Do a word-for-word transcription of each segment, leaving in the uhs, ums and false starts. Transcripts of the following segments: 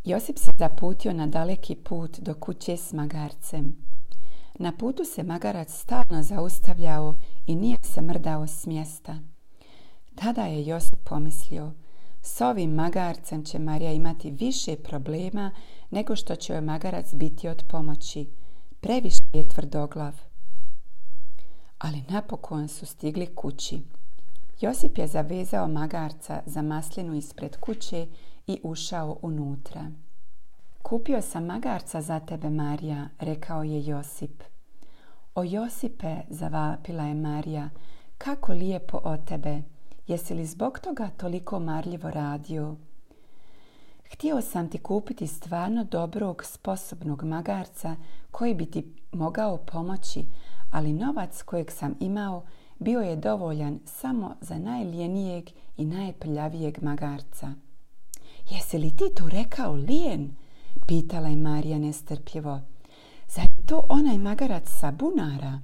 Josip se zaputio na daleki put do kuće s magarcem. Na putu se magarac stalno zaustavljao i nije se mrdao s mjesta. Tada je Josip pomislio, s ovim magarcem će Marija imati više problema nego što će joj magarac biti od pomoći. Previše je tvrdoglav. Ali napokon su stigli kući. Josip je zavezao magarca za maslinu ispred kuće i ušao unutra. Kupio sam magarca za tebe, Marija, rekao je Josip. O Josipe, zavapila je Marija, kako lijepo od tebe. Jesi li zbog toga toliko marljivo radio? Htio sam ti kupiti stvarno dobrog, sposobnog magarca koji bi ti mogao pomoći, ali novac kojeg sam imao bio je dovoljan samo za najlijenijeg i najprljavijeg magarca. Jesi li ti to rekao lijen? Pitala je Marija nestrpljivo. Zar je to onaj magarac sa bunara?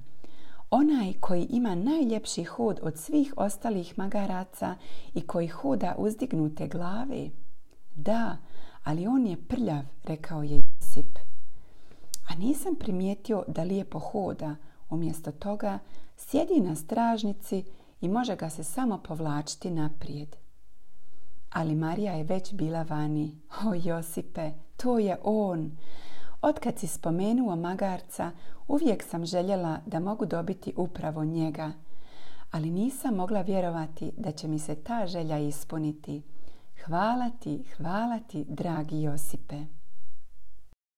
Onaj koji ima najljepši hod od svih ostalih magaraca i koji hoda uzdignute glave? Da, ali on je prljav, rekao je Josip. A nisam primijetio da lijepo hoda. Umjesto toga sjedi na stražnici i može ga se samo povlačiti naprijed. Ali Marija je već bila vani. O Josipe, to je on. Otkad si spomenuo magarca, uvijek sam željela da mogu dobiti upravo njega. Ali nisam mogla vjerovati da će mi se ta želja ispuniti. Hvala ti, hvala ti, dragi Josipe.